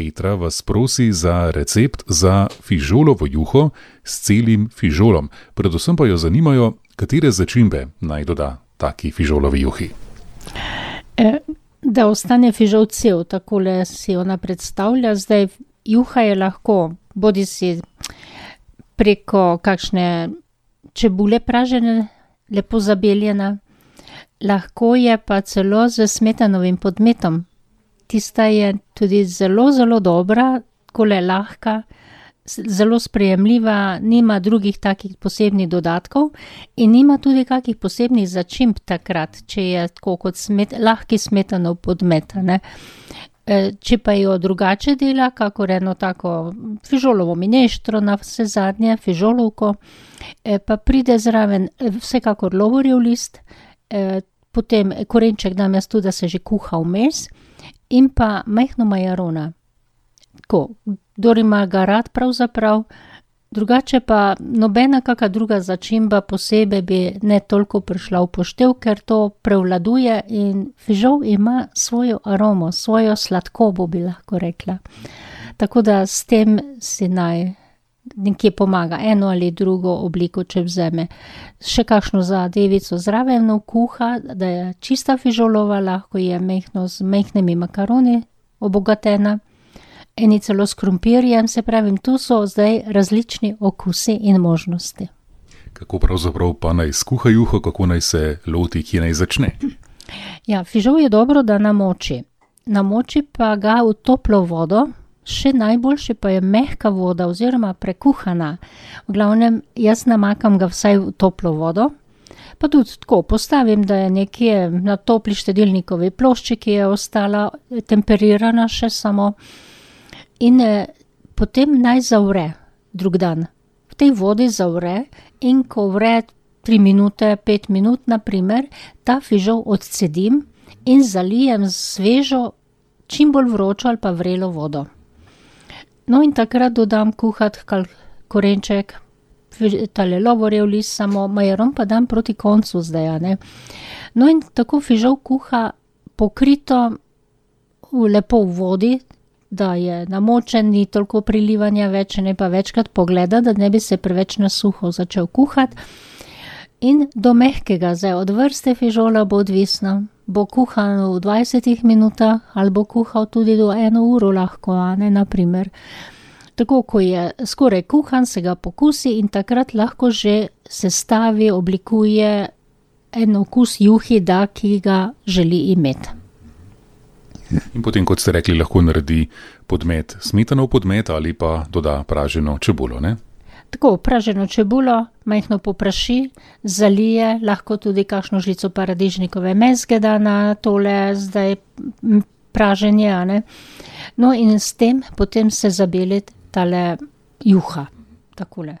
Petra vas prosi za recept za fižolovo juho s celim fižolom. Predvsem pa jo zanimajo, katere začimbe naj doda taki fižolovi juhi. Da ostane fižol cel, takole si ona predstavlja. Zdaj, juha je lahko, bodi si preko kakšne čebule pražene, lepo zabeljena, lahko je pa celo z smetanovim podmetom. Tista je tudi zelo, zelo dobra, takole lahka, zelo sprejemljiva, nima drugih takih posebnih dodatkov in nima tudi kakih posebnih začimb takrat, če je tako kot lahki smetanov podmet, ne. Če pa jo drugače dela, kakor eno tako fižolovo mineštro na vse zadnje, fižolovko, pa pride zraven vsekakor lovorjev list, potem korenček dam jaz tudi, da se že kuha vmes, in pa majhno majarona. Tako, kdor ima ga rad pravzaprav, drugače pa nobena kaka druga začimba posebej bi ne toliko prišla v poštev, ker to prevladuje in fižol ima svojo aromo, svojo sladkobo, bi lahko rekla. Tako da s tem si naj nekje pomaga eno ali drugo obliko, če vzeme. Še kakšno zadevico zraven kuha, da je čista fižolova, lahko je majhno z majhnimi makaroni obogatena. Eni celo s krompirjem, se pravim, tu so zdaj različni okusi in možnosti. Kako pravzaprav pa naj skuha juho, kako naj se loti, kje naj začne? Ja, fižol je dobro, da namoči. Namoči pa ga v toplo vodo, še najboljše pa je mehka voda oziroma prekuhana. V glavnem, jaz namakam ga vsaj v toplo vodo, pa tudi tako postavim, da je nekje na topli štedilnikovi plošči, ki je ostala temperirana še samo. In potem naj zavre drug dan. V tej vodi zavre in ko vre 3 minute, 5 minut, naprimer, ta fižol odcedim in zalijem z svežo, čim bolj vročo ali pa vrelo vodo. No in takrat dodam kuhat korenček, tale lovorjev list samo, majaron pa dam proti koncu zdaj, a ne. No in tako fižol kuha pokrito lepo v vodi, da je namočen, ni toliko prilivanja več, ne pa večkrat pogleda, da ne bi se preveč na suho začel kuhati. In do mehkega, zdaj od vrste fižola bo odvisno, bo kuhan v 20 minutah ali bo kuhal tudi do 1 uro lahko, a ne, naprimer. Tako, ko je skoraj kuhan, se ga pokusi in takrat lahko že sestavi, oblikuje en okus juhi, da ki ga želi imeti. In potem, kot ste rekli, lahko naredi podmet, smetanov podmet ali pa doda praženo čebulo, ne? Tako, praženo čebulo, majhno popraši, zalije, lahko tudi kakšno žlico paradižnikove mezge da na tole zdaj praženje, a ne. No in s tem potem se zabeli tale juha, takole.